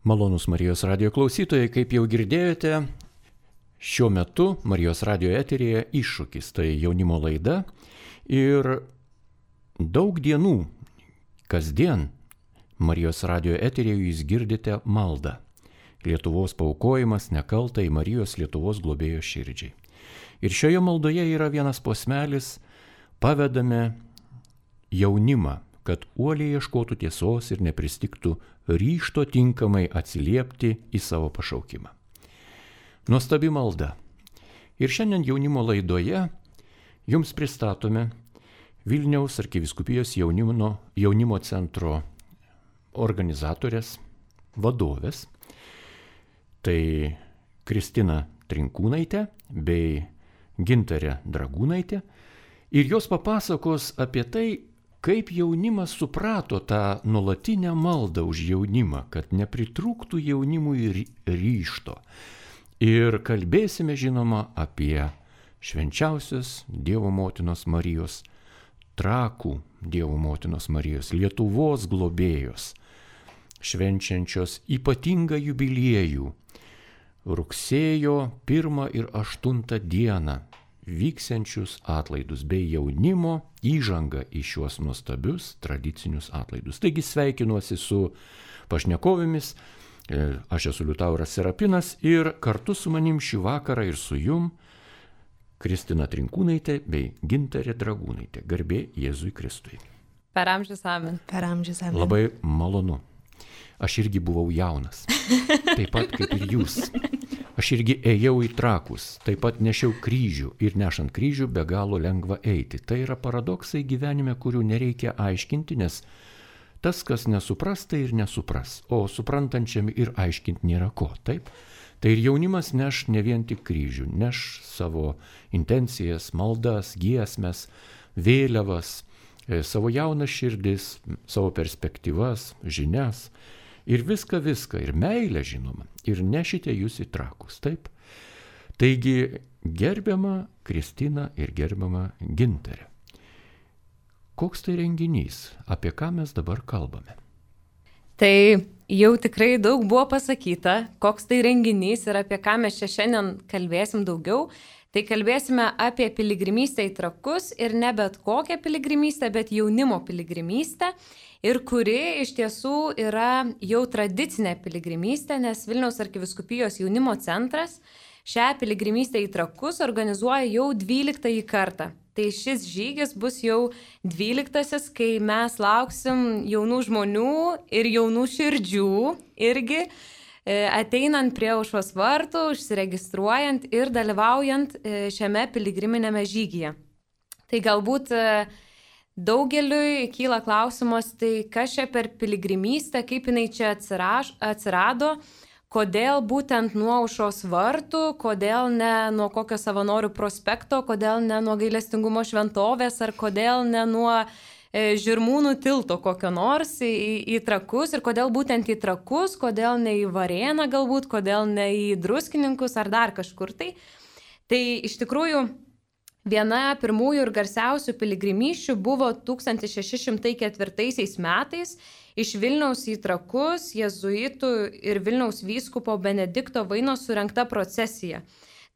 Malonūs Marijos radijo klausytojai, kaip jau girdėjote, šiuo metu Marijos radijo eteryje iššūkis, tai jaunimo laida ir daug dienų, kasdien Marijos radijo eteryje jūs girdite maldą. Lietuvos paaukojimas nekaltai Marijos Lietuvos globėjo širdžiai. Ir šioje maldoje yra vienas posmelis, pavedame jaunimą, kad uoliai ieškotų tiesos ir nepristigtų ryžto tinkamai atsiliepti į savo pašaukimą. Nuostabi malda. Ir šiandien jaunimo laidoje jums pristatome Vilniaus arkivyskupijos jaunimo centro organizatorės, vadovės, tai Kristina Trinkūnaitė bei Gintarė Dragūnaitė, ir jos papasakos apie tai, kaip jaunimas suprato tą nuolatinę maldą už jaunimą, kad nepritrūktų jaunimui ryžto. Ir kalbėsime, žinoma, apie švenčiausios Dievo motinos Marijos, Trakų Dievo motinos Marijos, Lietuvos globėjos, švenčiančios ypatingą jubiliejų, rugsėjo 1 ir 8 dieną vyksiančius atlaidus bei jaunimo įžangą į šiuos nuostabius tradicinius atlaidus. Taigi sveikinuosi su pašnekovėmis, aš esu Liutauras Serapinas ir kartu su manim šį vakarą ir su jum Kristina Trinkūnaitė bei Gintarė Dragūnaitė. Garbė Jėzui Kristui. Per amžius amen. Per amžius amen. Labai malonu. Aš irgi buvau jaunas, taip pat kaip ir jūs. Aš irgi ėjau į Trakus, taip pat nešiau kryžių ir nešant kryžių be galo lengva eiti. Tai yra paradoksai gyvenime, kurių nereikia aiškinti, nes tas, kas nesupras, tai ir nesupras, o suprantančiam ir aiškinti nėra ko, taip? Tai ir jaunimas neš ne vien tik kryžių, neš savo intencijas, maldas, giesmes, vėliavas, savo jaunas širdis, savo perspektyvas, žinias. Ir viską, ir meilę žinoma, ir nešite jūs į Trakus, taip? Taigi, gerbiama Kristina ir gerbiama Gintarė. Koks tai renginys, apie ką mes dabar kalbame? Tai jau tikrai daug buvo pasakyta, koks tai renginys ir apie ką mes čia šiandien kalbėsim daugiau. Tai kalbėsime apie piligrimystę į Trakus ir ne bet kokią piligrimystę, bet jaunimo piligrimystę. Ir kuri iš tiesų yra jau tradicinė piligrimystė, nes Vilniaus arkivyskupijos jaunimo centras šią piligrimystę į Trakus organizuoja jau 12 kartą. Tai šis žygis bus jau 12, kai mes lauksim jaunų žmonių ir jaunų širdžių irgi ateinant prie aušros vartų, užsiregistruojant ir dalyvaujant šiame piligriminėme žygyje. Tai galbūt daugeliui kyla klausimas, tai kas čia per piligrimystę, kaip jinai čia atsirado, kodėl būtent nuo aušros vartų, kodėl ne nuo kokio savanorių prospekto, kodėl ne nuo gailestingumo šventovės, ar kodėl ne nuo Žirmūnų tilto kokio nors į Trakus, ir kodėl būtent į Trakus, kodėl ne į Varėną galbūt, kodėl ne į Druskininkus ar dar kažkur tai. Tai iš tikrųjų viena pirmųjų ir garsiausių piligrimysčių buvo 1604 metais iš Vilniaus į Trakus jėzuitų ir Vilniaus vyskupo Benedikto Vainos surengta procesija.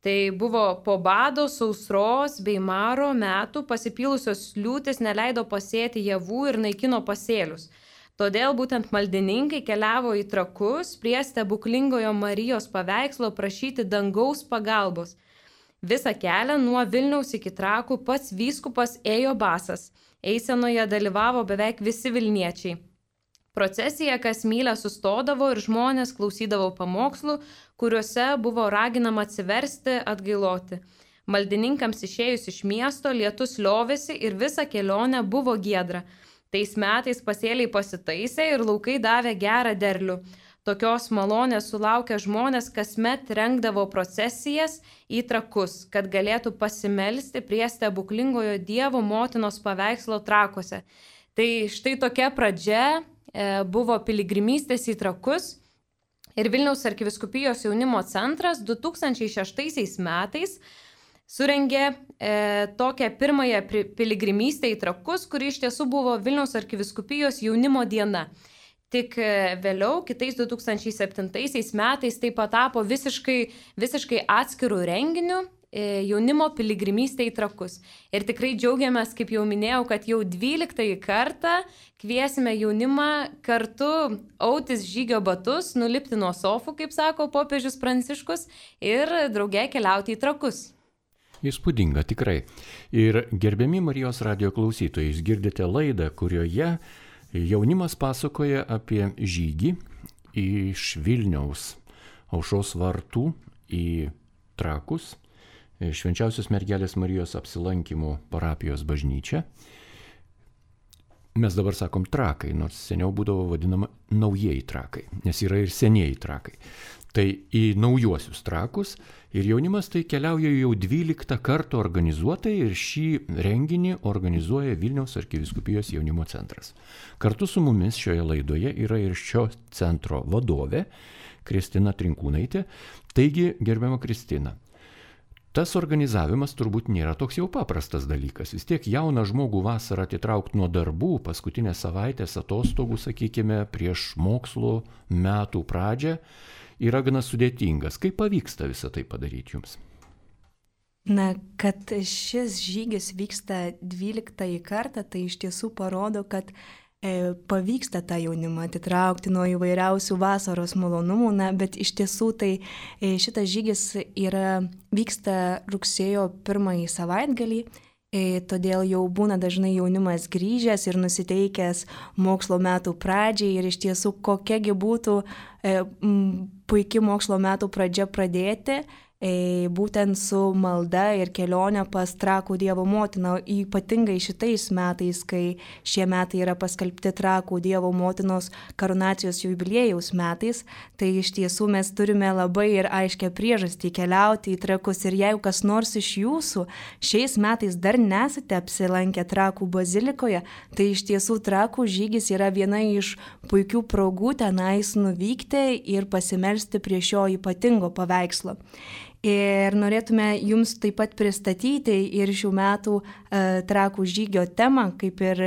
Tai buvo po bado, sausros bei maro metų pasipylusios liūtis neleido pasėti javų ir naikino pasėlius. Todėl būtent maldininkai keliavo į Trakus prie stebuklingojo Marijos paveikslo prašyti dangaus pagalbos. Visą kelią nuo Vilniaus iki Trakų pats vyskupas ėjo basas. Eisenoje dalyvavo beveik visi vilniečiai. Procesija kas mylę sustodavo ir žmonės klausydavo pamokslų, kuriuose buvo raginama atsiversti, atgailoti. Maldininkams išėjus iš miesto lietus liovėsi ir visa kelionė buvo giedra. Tais metais pasėliai pasitaisė ir laukai davė gerą derlių. Tokios malonės sulaukę žmonės kasmet rengdavo procesijas į Trakus, kad galėtų pasimelsti prie stebuklingojo Dievo motinos paveikslo Trakuose. Tai štai tokia pradžia buvo piligrimystės į Trakus ir Vilniaus arkivyskupijos jaunimo centras 2006 metais surengė tokią pirmąją piligrimystę į Trakus, kuri iš tiesų buvo Vilniaus arkivyskupijos jaunimo diena. Tik vėliau, kitais 2007 metais tai patapo visiškai atskirų renginių jaunimo piligrimystė į Trakus. Ir tikrai džiaugiamės, kaip jau minėjau, kad jau 12 kartą kviesime jaunimą kartu autis žygio batus, nulipti nuo sofų, kaip sako popiežius Pranciškus, ir drauge keliauti į Trakus. Įspūdinga, tikrai. Ir gerbiami Marijos radijo klausytojai, jūs girdite laidą, kurioje jaunimas pasakoja apie žygį iš Vilniaus Aušros vartų į Trakus, Švenčiausios mergelės Marijos apsilankymų parapijos bažnyčia. Mes dabar sakom Trakai, nors seniau būdavo vadinama naujieji Trakai, nes yra ir senieji Trakai. Tai į naujuosius Trakus ir jaunimas tai keliauja jau 12 kartų organizuotai ir šį renginį organizuoja Vilniaus arkivyskupijos jaunimo centras. Kartu su mumis šioje laidoje yra ir šio centro vadovė Kristina Trinkūnaitė. Taigi, gerbiama Kristina, tas organizavimas turbūt nėra toks jau paprastas dalykas. Vis tiek jauną žmogų vasarą atitraukti nuo darbų, paskutinės savaitės atostogų, sakykime, prieš mokslo metų pradžią, yra gana sudėtingas. Kaip pavyksta visą tai padaryti jums? Na, kad šis žygis vyksta 12 kartą, tai iš tiesų parodo, kad pavyksta tą jaunimą atitraukti nuo įvairiausių vasaros malonumų, bet iš tiesų tai šitas žygis vyksta rugsėjo 1 savaitgalį, todėl jau būna dažnai jaunimas grįžęs ir nusiteikęs mokslo metų pradžiai ir iš tiesų kokiagi būtų puikia mokslo metų pradžia pradėti, būtent su malda ir kelionė pas Trakų Dievo motiną, ypatingai šitais metais, kai šie metai yra paskelbti Trakų Dievo motinos karūnacijos jubiliejaus metais, tai iš tiesų mes turime labai ir aiškę priežastį keliauti į Trakus ir jeigu kas nors iš jūsų šiais metais dar nesate apsilankę Trakų bazilikoje, tai iš tiesų Trakų žygis yra viena iš puikių progų tenais nuvykti ir pasimelsti prie šio ypatingo paveikslo. Ir norėtume jums taip pat pristatyti ir šių metų Trakų žygio temą, kaip ir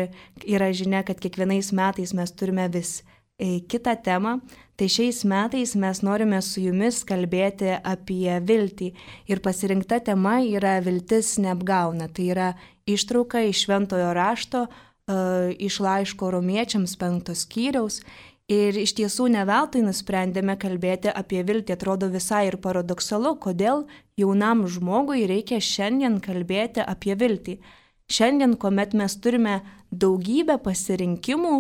yra žinia, kad kiekvienais metais mes turime vis kitą temą. Tai šiais metais mes norime su jumis kalbėti apie viltį. Ir pasirinkta tema yra viltis neapgauna. Tai yra ištrauka iš Šventojo rašto, iš laiško Romiečiams 5 skyriaus. Ir iš tiesų ne veltui nusprendėme kalbėti apie viltį, atrodo visai ir paradoksalu, kodėl jaunam žmogui reikia šiandien kalbėti apie viltį. Šiandien, kuomet mes turime daugybę pasirinkimų,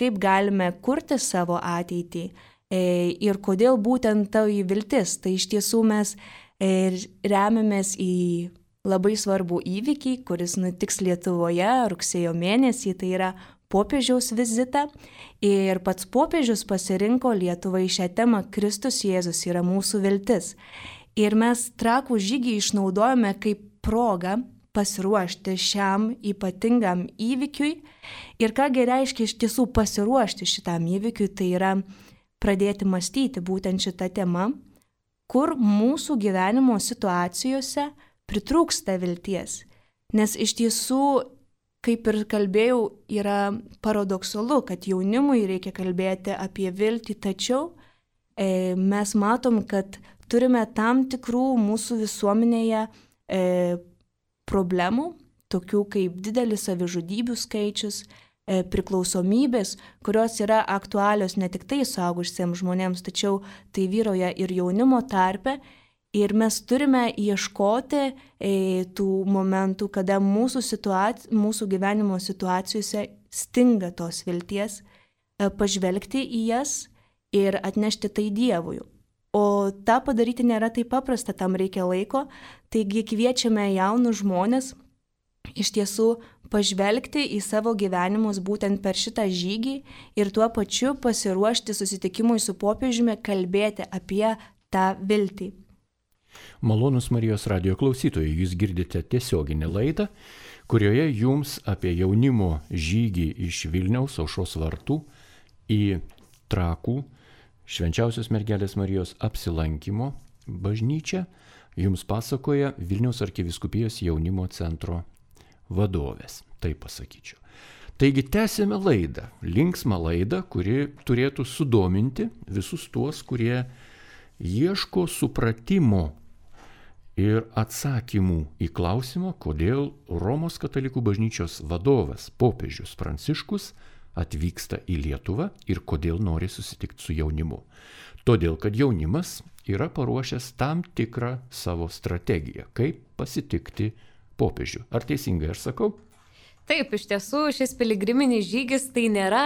kaip galime kurti savo ateitį ir kodėl būtent ta viltis, tai iš tiesų mes remiamės į labai svarbų įvykį, kuris nutiks Lietuvoje rugsėjo mėnesį, tai yra popiežiaus vizitą ir pats popiežius pasirinko Lietuvai šią temą Kristus Jėzus yra mūsų viltis. Ir mes Trakų žygį išnaudojame kaip progą pasiruošti šiam ypatingam įvykiui. Ir kągi reiškia iš tiesų pasiruošti šitam įvykiui, tai yra pradėti mąstyti būtent šitą temą, kur mūsų gyvenimo situacijose pritrūksta vilties. Nes iš tiesų, kaip ir kalbėjau, yra paradoksalu, kad jaunimui reikia kalbėti apie viltį, tačiau mes matom, kad turime tam tikrų mūsų visuomenėje problemų, tokių kaip didelis savižudybių skaičius, priklausomybės, kurios yra aktualios ne tik tai suaugusiems žmonėms, tačiau tai vyroja ir jaunimo tarpe. Ir mes turime ieškoti tų momentų, kada mūsų gyvenimo situacijose stinga tos vilties, pažvelgti į jas ir atnešti tai Dievui. O tą padaryti nėra taip paprasta, tam reikia laiko, taigi kviečiame jaunus žmonės iš tiesų pažvelgti į savo gyvenimus būtent per šitą žygį ir tuo pačiu pasiruošti susitikimui su popiežiumi, kalbėti apie tą viltį. Malonūs Marijos radijo klausytojai, jūs girdite tiesioginę laidą, kurioje jums apie jaunimo žygį iš Vilniaus Aušros vartų į Trakų Švenčiausios mergelės Marijos apsilankymo bažnyčią jums pasakoja Vilniaus arkivyskupijos jaunimo centro vadovės, taip pasakyčiau. Taigi tęsėme laidą, linksmą laidą, kuri turėtų sudominti visus tuos, kurie ieško supratimo ir atsakymų į klausimą, kodėl Romos katalikų bažnyčios vadovas, popiežius Pranciškus, atvyksta į Lietuvą ir kodėl nori susitikti su jaunimu. Todėl, kad jaunimas yra paruošęs tam tikrą savo strategiją, kaip pasitikti popiežių. Ar teisingai aš sakau? Taip, iš tiesų šis piligriminis žygis tai nėra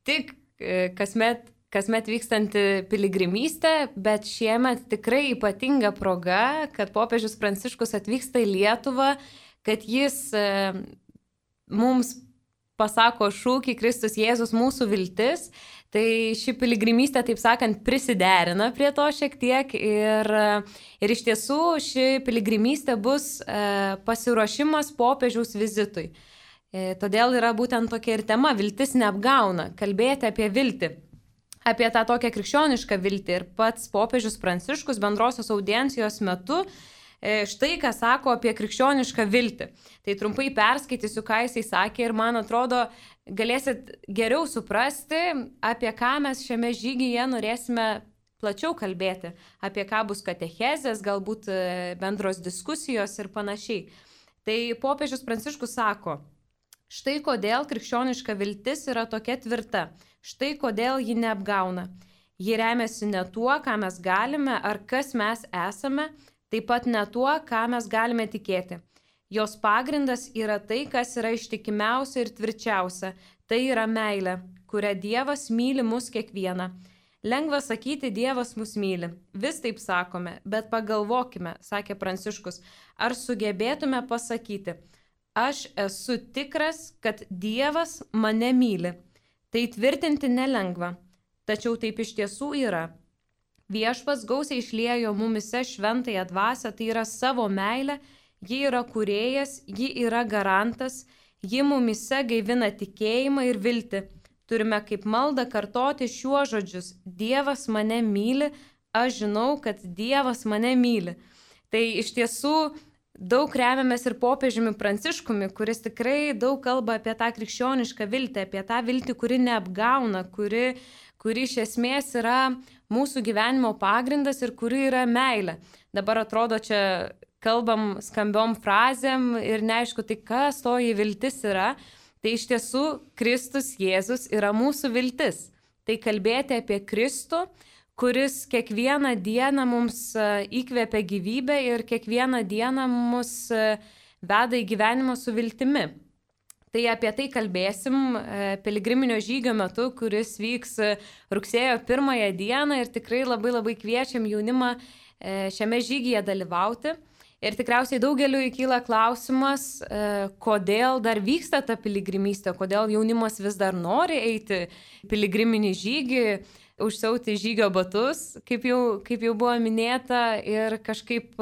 tik kasmet vykstanti piligrimystė, bet šiemet tikrai ypatinga proga, kad popiežius Pranciškus atvyksta į Lietuvą, kad jis mums pasako šūkį Kristus Jėzus mūsų viltis. Tai ši piligrimystė, taip sakant, prisiderina prie to šiek tiek ir iš tiesų ši piligrimystė bus pasiruošimas popiežiaus vizitui. Todėl yra būtent tokia ir tema - viltis neapgauna, kalbėti apie viltį. Apie tą tokią krikščionišką viltį. Ir pats popiežius Pranciškus bendrosios audiencijos metu štai ką sako apie krikščionišką viltį. Tai trumpai perskaitysiu, ką jisai sakė ir man atrodo, galėsit geriau suprasti, apie ką mes šiame žygyje norėsime plačiau kalbėti. Apie ką bus katechezės, galbūt bendros diskusijos ir panašiai. Tai popiežius Pranciškus sako, štai kodėl krikščioniška viltis yra tokia tvirta. Štai kodėl ji neapgauna. Ji remiasi ne tuo, ką mes galime ar kas mes esame, taip pat ne tuo, ką mes galime tikėti. Jos pagrindas yra tai, kas yra ištikimiausia ir tvirčiausia. Tai yra meilė, kuria Dievas myli mus kiekvieną. Lengva sakyti, Dievas mus myli. Vis taip sakome, bet pagalvokime, sakė Pranciškus, ar sugebėtume pasakyti, aš esu tikras, kad Dievas mane myli. Tai tvirtinti nelengva, tačiau taip iš tiesų yra. Viešpats gausiai išliejo mumise šventąją dvasią, tai yra savo meilę, ji yra kūrėjas, ji yra garantas, ji mumise gaivina tikėjimą ir viltį. Turime kaip maldą kartoti šiuos žodžius. Dievas mane myli, aš žinau, kad Dievas mane myli. Tai iš tiesų daug remiamės ir popiežiumi Pranciškumi, kuris tikrai daug kalba apie tą krikščionišką viltį, apie tą viltį, kuri neapgauna, kuri iš esmės yra mūsų gyvenimo pagrindas ir kuri yra meilė. Dabar atrodo, čia kalbam skambiom frazėm ir neaišku, tai kas toji viltis yra. Tai iš tiesų Kristus Jėzus yra mūsų viltis. Tai kalbėti apie Kristų, kuris kiekvieną dieną mums įkvėpia gyvybę ir kiekvieną dieną mus veda į gyvenimą su viltimi. Tai apie tai kalbėsim piligriminio žygio metu, kuris vyks rugsėjo 1 dieną ir tikrai labai kviečiam jaunimą šiame žygyje dalyvauti. Ir tikriausiai daugeliu įkyla klausimas, kodėl dar vyksta ta piligrimystė, kodėl jaunimas vis dar nori eiti piligriminį žygį, užsiauti žygio batus, kaip jau buvo minėta, ir kažkaip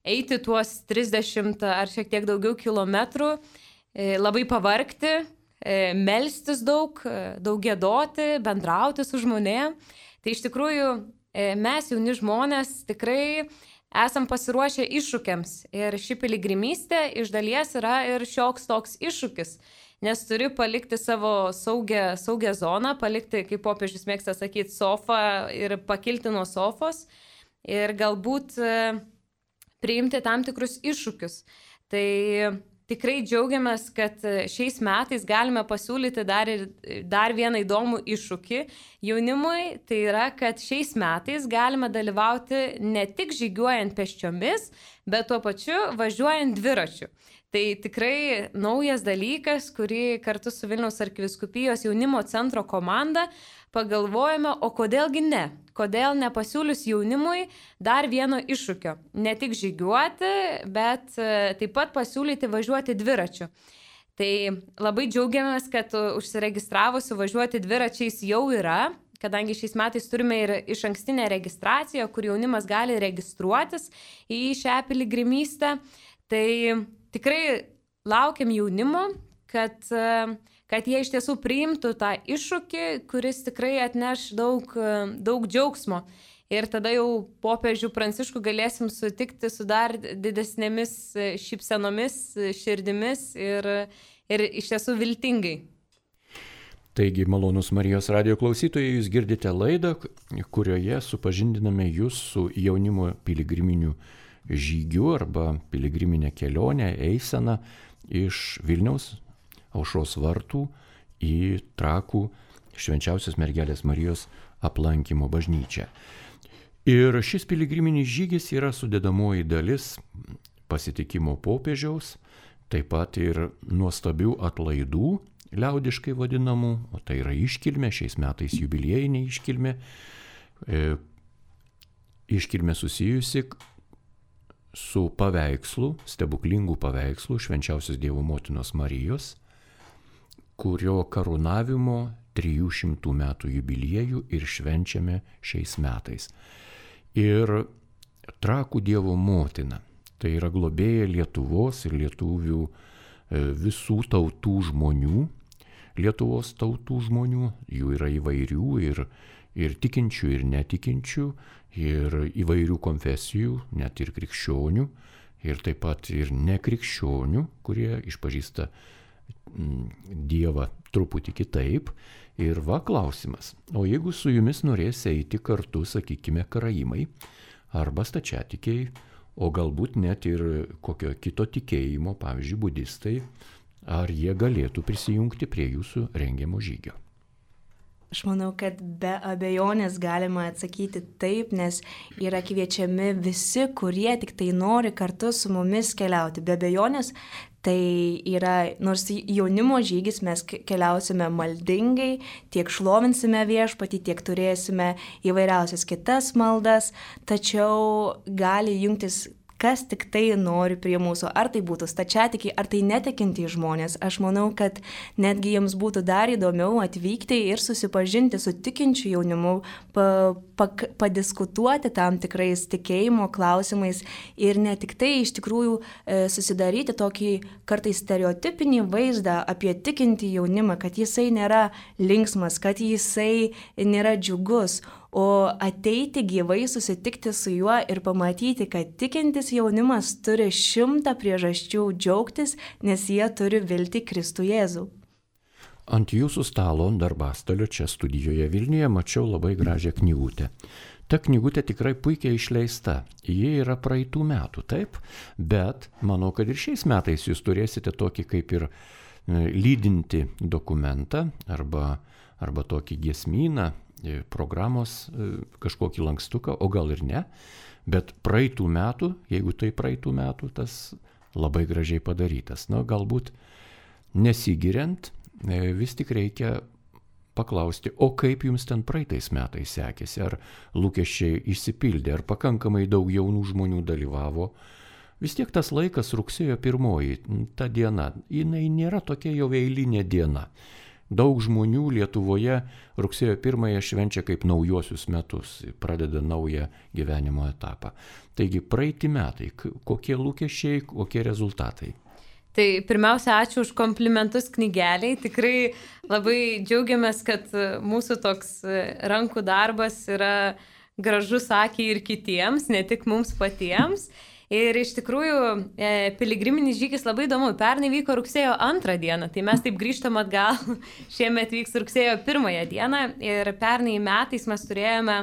eiti tuos 30 ar šiek tiek daugiau kilometrų, labai pavargti, melstis daug giedoti, bendrauti su žmonėm. Tai iš tikrųjų mes jauni žmonės tikrai esam pasiruošę iššūkiams ir ši piligrimystė iš dalies yra ir šioks toks iššūkis, nes turi palikti savo saugią zoną, palikti, kaip popiežius mėgsta sakyti, sofą ir pakilti nuo sofos ir galbūt priimti tam tikrus iššūkius. Tai tikrai džiaugiamės, kad šiais metais galime pasiūlyti dar vieną įdomų iššūkį jaunimui. Tai yra, kad šiais metais galime dalyvauti ne tik žygiuojant pėsčiomis, bet tuo pačiu važiuojant dviračiu. Tai tikrai naujas dalykas, kurį kartu su Vilniaus arkivyskupijos jaunimo centro komanda pagalvojame, o kodėlgi ne? Kodėl nepasiūlius jaunimui dar vieno iššūkio? Ne tik žygiuoti, bet taip pat pasiūlyti važiuoti dviračiu. Tai labai džiaugiamės, kad užsiregistravusių važiuoti dviračiais jau yra, kadangi šiais metais turime ir išankstinę registraciją, kur jaunimas gali registruotis į šią piligrimystę. Tai tikrai laukiam jaunimo, kad jie iš tiesų priimtų tą iššūkį, kuris tikrai atneš daug džiaugsmo. Ir tada jau popiežių Pranciškų galėsim sutikti su dar didesnėmis šypsenomis, širdimis ir ir iš tiesų viltingai. Taigi, malonus Marijos radijo klausytojai, jūs girdite laidą, kurioje supažindiname jūs su jaunimo piligriminiu žygiu arba piligriminė kelionė, eisena iš Vilniaus Aušros vartų į Trakų Švenčiausios Mergelės Marijos aplankymo bažnyčią. Ir šis piligriminis žygis yra sudedamoji dalis pasitikimo popiežiaus, taip pat ir nuostabių atlaidų, liaudiškai vadinamų, o tai yra iškilmė, šiais metais jubiliejinė iškilmė, iškilmė susijusi su paveikslu, stebuklingų paveikslų Švenčiausios Dievo Motinos Marijos, kurio karūnavimo 300 metų jubiliejų ir švenčiame šiais metais. Ir Trakų Dievo Motina, tai yra globėja Lietuvos ir lietuvių visų tautų žmonių, Lietuvos tautų žmonių, jų yra įvairių ir tikinčių, ir netikinčių, ir įvairių konfesijų, net ir krikščionių, ir taip pat ir nekrikščionių, kurie išpažįsta Dievą truputį kitaip. Ir va klausimas, o jeigu su jumis norės eiti kartu, sakykime, karaimai arba stačiatikiai, o galbūt net ir kokio kito tikėjimo, pavyzdžiui, budistai, ar jie galėtų prisijungti prie jūsų rengiamo žygio? Aš manau, kad be abejonės galima atsakyti taip, nes yra kviečiami visi, kurie tik tai nori kartu su mumis keliauti. Be abejonės tai yra, nors jaunimo žygis mes keliausime maldingai, tiek šlovinsime viešpatį, tiek turėsime įvairiausias kitas maldas, tačiau gali jungtis kas tik tai nori prie mūsų, ar tai būtų stačiatikiai, ar tai netikintys žmonės. Aš manau, kad netgi jiems būtų dar įdomiau atvykti ir susipažinti su tikinčiu jaunimu, padiskutuoti tam tikrais tikėjimo klausimais ir ne tik tai iš tikrųjų susidaryti tokį kartais stereotipinį vaizdą apie tikintį jaunimą, kad jisai nėra linksmas, kad jisai nėra džiugus, o ateiti gyvai susitikti su juo ir pamatyti, kad tikintis jaunimas turi 100 priežasčių džiaugtis, nes jie turi viltį Kristų Jėzų. Ant jūsų stalo darbastalio čia studijoje Vilniuje mačiau labai gražią knygutę. Ta knygutė tikrai puikiai išleista. Ji yra praeitų metų, taip, bet manau, kad ir šiais metais jūs turėsite tokį kaip ir lydinti dokumentą arba tokį giesmyną, programos kažkokį lankstuką, o gal ir ne, bet praeitų metų, jeigu tai praeitų metų, tas labai gražiai padarytas. Na, galbūt nesigiriant, vis tik reikia paklausti, o kaip jums ten praeitais metais sekėsi, ar lūkesčiai išsipildė, ar pakankamai daug jaunų žmonių dalyvavo. Vis tiek tas laikas rugsėjo 1, ta diena, jinai nėra tokia jau eilinė diena. Daug žmonių Lietuvoje rugsėjo 1 švenčia kaip naujuosius metus, pradeda naują gyvenimo etapą. Taigi praeiti metai, kokie lūkesčiai, kokie rezultatai? Tai pirmiausia, ačiū už komplimentus knygeliai. Tikrai labai džiaugiamės, kad mūsų toks rankų darbas yra gražus akiai ir kitiems, ne tik mums patiems. Ir iš tikrųjų piligriminis žygis labai įdomu. Pernai vyko rugsėjo 2 dieną, tai mes taip grįžtam atgal. Šiemet vyks rugsėjo 1 dieną ir pernai metais mes turėjome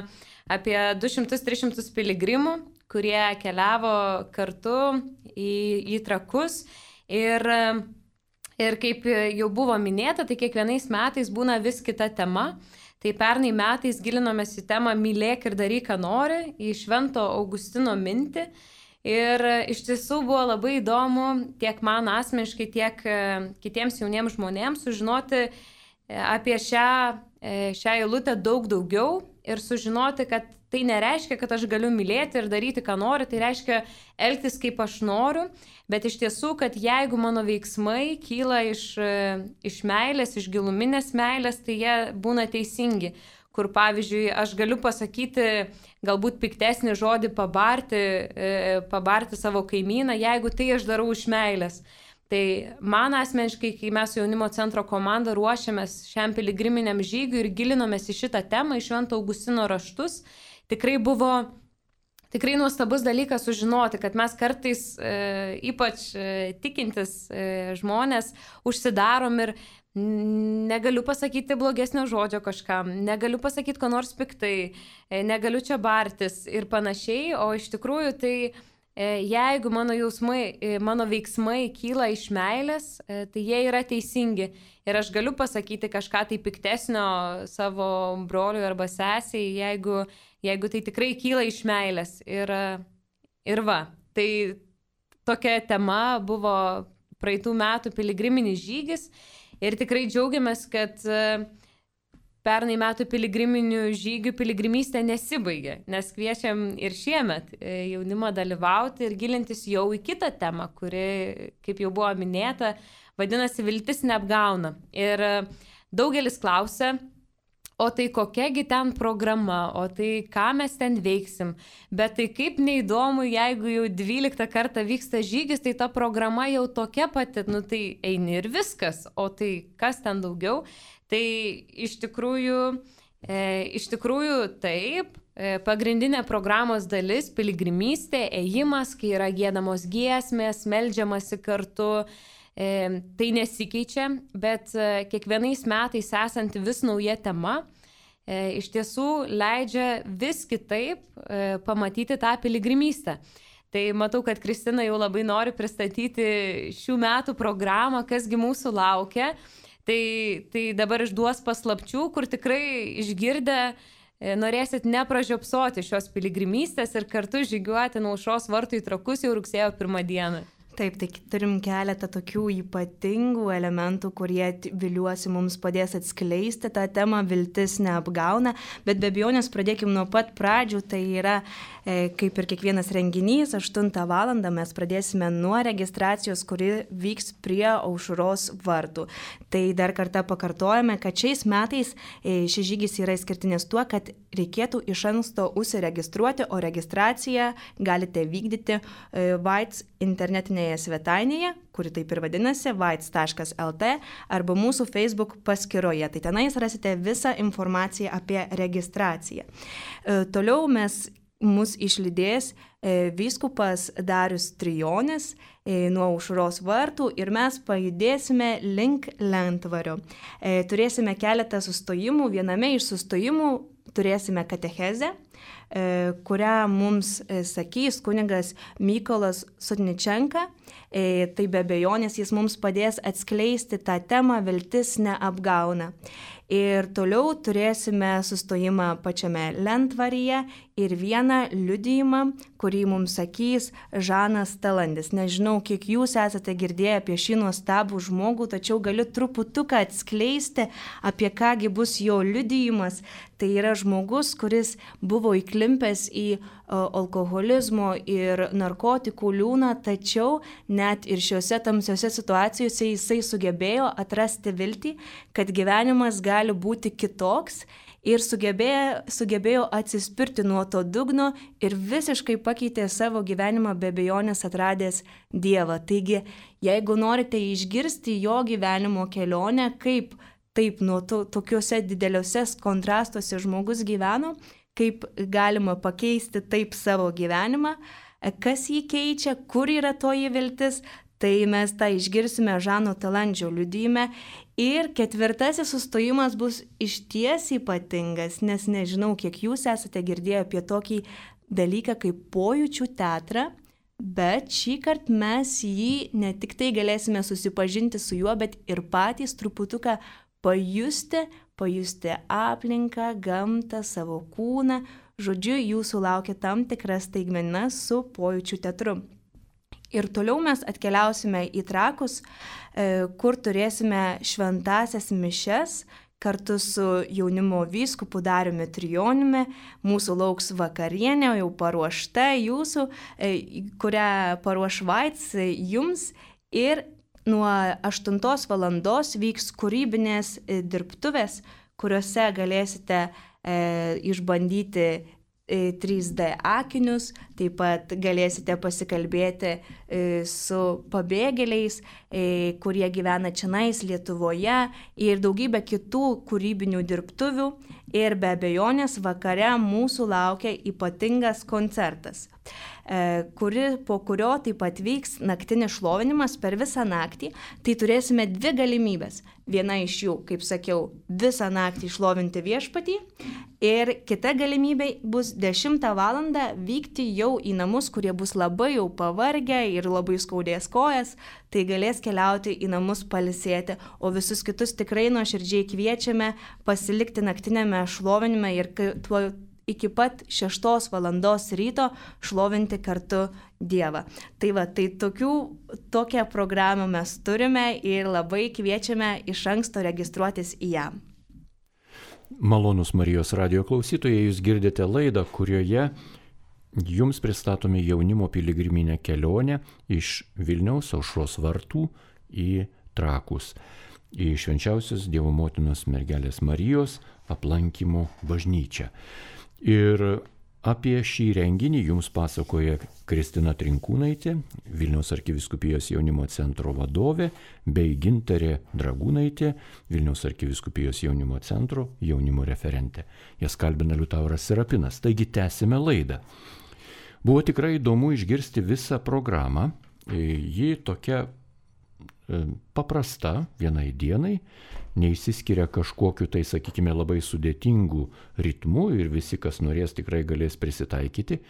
apie 200-300 piligrimų, kurie keliavo kartu į Trakus. Ir kaip jau buvo minėta, tai kiekvienais metais būna vis kita tema. Tai pernai metais gilinomės į temą Mylėk ir daryk, ką nori, į Švento Augustino mintį. Ir iš tiesų buvo labai įdomu tiek man asmeniškai, tiek kitiems jauniems žmonėms sužinoti apie šią eilutę daug daugiau ir sužinoti, kad tai nereiškia, kad aš galiu mylėti ir daryti, ką noriu, tai reiškia elgtis, kaip aš noriu, bet iš tiesų, kad jeigu mano veiksmai kyla iš meilės, iš giluminės meilės, tai jie būna teisingi. Kur, pavyzdžiui, aš galiu pasakyti galbūt piktesnį žodį pabarti savo kaimyną, jeigu tai aš darau iš meilės. Tai man asmeniškai, kai mes su jaunimo centro komanda ruošiamės šiam piligriminiam žygiui ir gilinomės į šitą temą, į Švento Augustino raštus, tikrai buvo tikrai nuostabus dalykas sužinoti, kad mes kartais, ypač tikintis žmonės, užsidarom ir negaliu pasakyti blogesnio žodžio kažkam, negaliu pasakyti ko nors piktai, negaliu čia bartis ir panašiai, o iš tikrųjų tai jeigu mano jausmai, mano veiksmai kyla iš meilės, tai jie yra teisingi. Ir aš galiu pasakyti kažką tai piktesnio savo broliui arba sesiai, jeigu tai tikrai kyla iš meilės. Ir va, tai tokia tema buvo praeitų metų piligriminis žygis. Ir tikrai džiaugiamės, kad pernai metų piligriminių žygių piligrimystė nesibaigė, nes kviečiam ir šiemet jaunimą dalyvauti ir gilintis jau į kitą temą, kuri, kaip jau buvo minėta, vadinasi viltis neapgauna. Ir daugelis klausia, o tai kokiagi ten programa, o tai ką mes ten veiksim. Bet tai kaip neįdomu, jeigu jau 12 kartą vyksta žygis, tai ta programa jau tokia pati, tai eini ir viskas, o tai kas ten daugiau. Tai iš tikrųjų taip, pagrindinė programos dalis - piligrimystė, ėjimas, kai yra giedamos giesmės, meldžiamasi kartu. Tai nesikeičia, bet kiekvienais metais esanti vis nauja tema iš tiesų leidžia vis kitaip pamatyti tą piligrimystę. Tai matau, kad Kristina jau labai nori pristatyti šių metų programą, kasgi mūsų laukia. Tai dabar išduos paslapčių, kur tikrai išgirdę norėsit nepražiopsoti šios piligrimystės ir kartu žygiuoti nuo Aušros vartų į Trakus jau rugsėjo 1 dieną. Taip, tai turim keletą tokių ypatingų elementų, kurie, viliuosi, mums padės atskleisti tą temą viltis neapgauna, bet be abejonės pradėkim nuo pat pradžių, tai yra kaip ir kiekvienas renginys, 8 valandą mes pradėsime nuo registracijos, kuri vyks prie Aušros vartų. Tai dar kartą pakartojame, kad šiais metais šis žygis yra išskirtinis tuo, kad reikėtų iš anksto užsiregistruoti, o registraciją galite vykdyti Vaits internetinėje svetainėje, kuri taip ir vadinasi, vaits.lt, arba mūsų Facebook paskyroje. Tai tenais rasite visą informaciją apie registraciją. Toliau mus išlydės vyskupas Darius Trijonis nuo Aušros vartų ir mes pajudėsime link Lentvario. Turėsime keletą sustojimų. Viename iš sustojimų turėsime katechezę, kurią mums sakys kunigas Mykolas Sotničenka. Tai be abejonės jis mums padės atskleisti tą temą viltis neapgauna. Ir toliau turėsime sustojimą pačiame Lentvaryje ir vieną liudijimą, kurį mums sakys Žanas Talandis. Nežinau, kiek jūs esate girdėję apie šį nuostabų žmogų, tačiau galiu truputuką atskleisti, apie kągi bus jo liudijimas. Tai yra žmogus, kuris buvo įklimpęs į alkoholizmo ir narkotikų liūną, tačiau net ir šiuose tamsiose situacijose jisai sugebėjo atrasti viltį, kad gyvenimas gali būti kitoks ir sugebėjo atsispirti nuo to dugno ir visiškai pakeitė savo gyvenimą be abejonės atradęs Dievą. Taigi, jeigu norite išgirsti jo gyvenimo kelionę, kaip taip nuo tokiuose dideliuose kontrastuose žmogus gyveno, kaip galima pakeisti taip savo gyvenimą, kas jį keičia, kur yra toji viltis, tai mes tą išgirsime Žano Talandžio liudijime. Ir 4. sustojimas bus išties ypatingas, nes nežinau, kiek jūs esate girdėję apie tokį dalyką kaip pojūčių teatrą, bet šį kartą mes jį ne tik tai galėsime susipažinti su juo, bet ir patys truputuką pajusti aplinką, gamtą, savo kūną. Žodžiu, jūsų laukia tam tikras staigmena su pojūčių teatru. Ir toliau mes atkeliausime į Trakus, kur turėsime šventąsias mišias kartu su jaunimo vyskupu Dariumi Trijoniumi. Mūsų lauks vakarienė, jau paruošta jūsų, kurią paruoš Vaits jums. Ir nuo 8 valandos vyks kūrybinės dirbtuvės, kuriuose galėsite išbandyti 3D akinius, taip pat galėsite pasikalbėti su pabėgėliais, kurie gyvena čionais Lietuvoje ir daugybę kitų kūrybinių dirbtuvių. Ir be abejonės vakare mūsų laukia ypatingas koncertas, po kurio taip pat vyks naktinis šlovinimas per visą naktį. Tai turėsime 2 galimybės. Viena iš jų, kaip sakiau, visą naktį šlovinti viešpatį ir kita galimybė bus 10 valandą vykti jau į namus, kurie bus labai jau pavargę ir labai skaudės kojas, tai galės keliauti į namus pailsėti, o visus kitus tikrai nuoširdžiai kviečiame pasilikti naktinėme šlovinime ir iki pat 6 valandos ryto šlovinti kartu Dievą. Tai tokią programą mes turime ir labai kviečiame iš anksto registruotis į ją. Malonūs Marijos radijo klausytojai, jūs girdite laidą, kurioje jums pristatome jaunimo piligriminę kelionę iš Vilniaus Aušros vartų į Trakus, į Švenčiausios Dievo Motinos mergelės Marijos aplankymo bažnyčią. Ir apie šį renginį jums pasakoja Kristina Trinkūnaitė, Vilniaus arkivyskupijos jaunimo centro vadovė, bei Gintarė Dragūnaitė, Vilniaus arkivyskupijos jaunimo centro jaunimo referentė. Jas kalbina Liutauras Serapinas. Taigi tęsime laidą. Buvo tikrai įdomu išgirsti visą programą. Ji tokia paprasta vienai dienai, neįsiskiria kažkokiu tai, sakykime, labai sudėtingų ritmų ir visi, kas norės, tikrai galės prisitaikyti.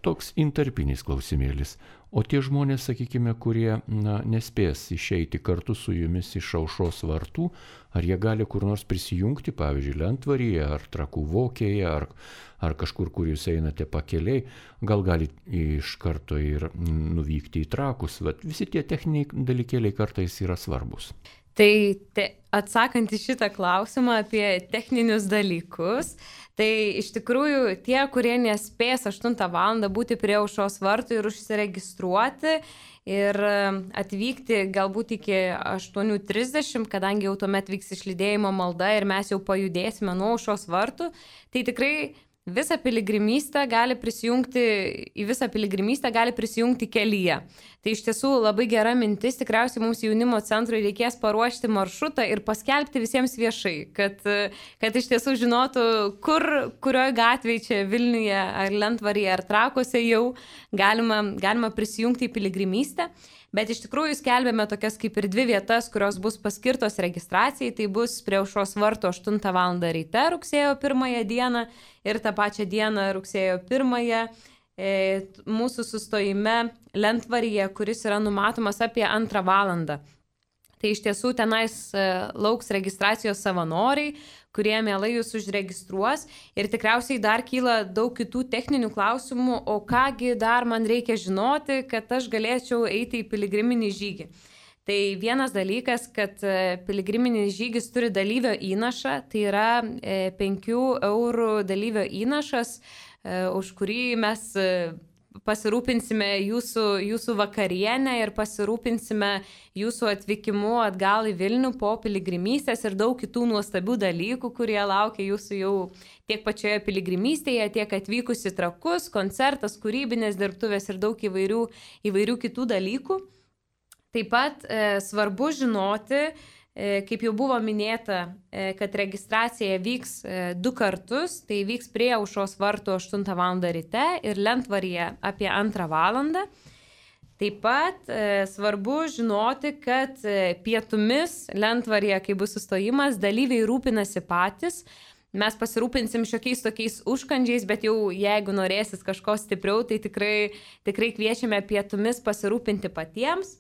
Toks intarpinis klausimėlis. O tie žmonės, sakykime, kurie nespės išeiti kartu su jumis iš Aušros vartų, ar jie gali kur nors prisijungti, pavyzdžiui, Lentvaryje, ar Trakų Vokėje, ar kažkur, kur jūs einate pakeliai, gal gali iš karto ir nuvykti į Trakus. Visi tie techniniai dalykėliai kartais yra svarbus. Tai atsakant į šitą klausimą apie techninius dalykus, tai iš tikrųjų tie, kurie nespės 8 valandą būti prie Aušros vartų ir užsiregistruoti ir atvykti galbūt iki 8:30, kadangi jau tuomet vyks išlydėjimo malda ir mes jau pajudėsime nuo Aušros vartų, tai tikrai į visą piligrimystę gali prisijungti kelyje. Tai iš tiesų labai gera mintis, tikriausiai mums jaunimo centrui reikės paruošti maršrutą ir paskelbti visiems viešai, kad iš tiesų žinotų, kurioje gatvėje čia Vilniuje ar Lentvaryje ar Trakuose jau galima prisijungti į piligrimystę. Bet iš tikrųjų skelbėme tokias kaip ir 2 vietas, kurios bus paskirtos registracijai. Tai bus prie Aušros vartų 8 val. Ryte rugsėjo 1 dieną ir tą pačią dieną rugsėjo 1 mūsų sustojime Lentvaryje, kuris yra numatomas apie 2 valandą. Tai iš tiesų tenais lauks registracijos savanoriai, kurie mielai jūs užregistruos ir tikriausiai dar kyla daug kitų techninių klausimų, o kągi dar man reikia žinoti, kad aš galėčiau eiti į piligriminį žygį. Tai vienas dalykas, kad piligriminis žygis turi dalyvio įnašą, tai yra 5 eurų dalyvio įnašas, už kurį mes pasirūpinsime jūsų vakarienę ir pasirūpinsime jūsų atvykimu atgal į Vilnių po piligrimystės ir daug kitų nuostabių dalykų, kurie laukia jūsų jau tiek pačioje piligrimystėje, tiek atvykus į Trakus, koncertas, kūrybinės dirbtuvės ir daug įvairių kitų dalykų. Taip pat svarbu žinoti, kaip jau buvo minėta, kad registracija vyks 2 kartus, tai vyks prie Aušros vartų 8 val. Ryte ir Lentvaryje apie 2 valandą. Taip pat svarbu žinoti, kad pietumis Lentvaryje, kai bus sustojimas, dalyviai rūpinasi patys. Mes pasirūpinsim šiokiais tokiais užkandžiais, bet jau jeigu norėsis kažko stipriau, tai tikrai kviečiame pietumis pasirūpinti patiems.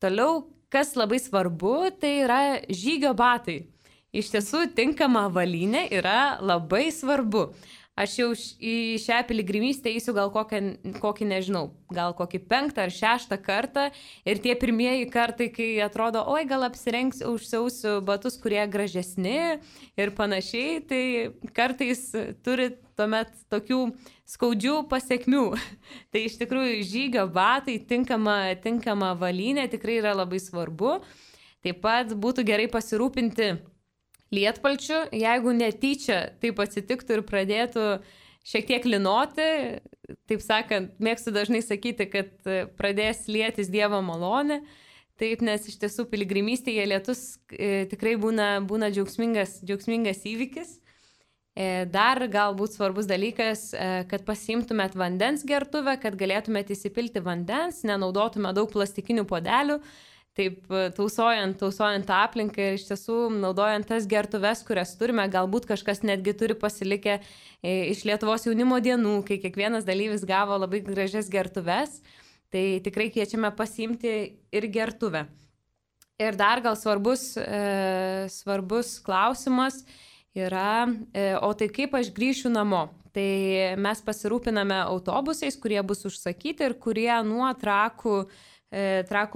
Toliau, kas labai svarbu, tai yra žygio batai. Iš tiesų, tinkama avalynė yra labai svarbu. Aš jau į šią piligrimystę eisiu gal kokį nežinau, gal kokį 5 ar 6 kartą ir tie pirmieji kartai, kai atrodo, oi, gal užsiausiu batus, kurie gražesni ir panašiai, tai kartais turi tuomet tokių skaudžių pasekmių. Tai iš tikrųjų žygio batai, tinkama avalynė tikrai yra labai svarbu. Taip pat būtų gerai pasirūpinti lietpalčių, jeigu netyčia taip atsitiktų ir pradėtų šiek tiek linoti, taip sakant, mėgstu dažnai sakyti, kad pradės lietis Dievo malonė, taip, nes iš tiesų piligrimystėje lietus tikrai būna džiaugsmingas įvykis. Dar galbūt svarbus dalykas, kad pasiimtumėt vandens gertuvę, kad galėtumėt įsipilti vandens, nenaudotume daug plastikinių puodelių, taip tausojant aplinką ir iš tiesų naudojant tas gertuves, kurias turime, galbūt kažkas netgi turi pasilikę iš Lietuvos jaunimo dienų, kai kiekvienas dalyvis gavo labai gražias gertuves, tai tikrai kviečiame pasiimti ir gertuvę. Ir dar gal svarbus klausimas yra, o tai kaip aš grįšiu namo? Tai mes pasirūpiname autobusais, kurie bus užsakyti ir kurie nuo Trakų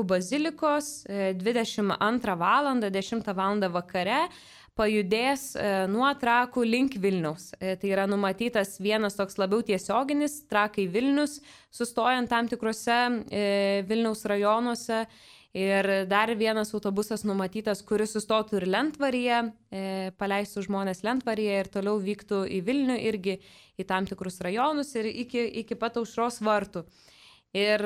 bazilikos 22 val. 10 val. Vakare pajudės nuo Trakų link Vilniaus. Tai yra numatytas vienas toks labiau tiesioginis Trakai Vilnius, sustojant tam tikrose Vilniaus rajonuose. Ir dar vienas autobusas numatytas, kuris sustotų ir Lentvaryje, paleistų žmonės Lentvaryje ir toliau vyktų į Vilnių irgi į tam tikrus rajonus ir iki pat Aušros vartų. Ir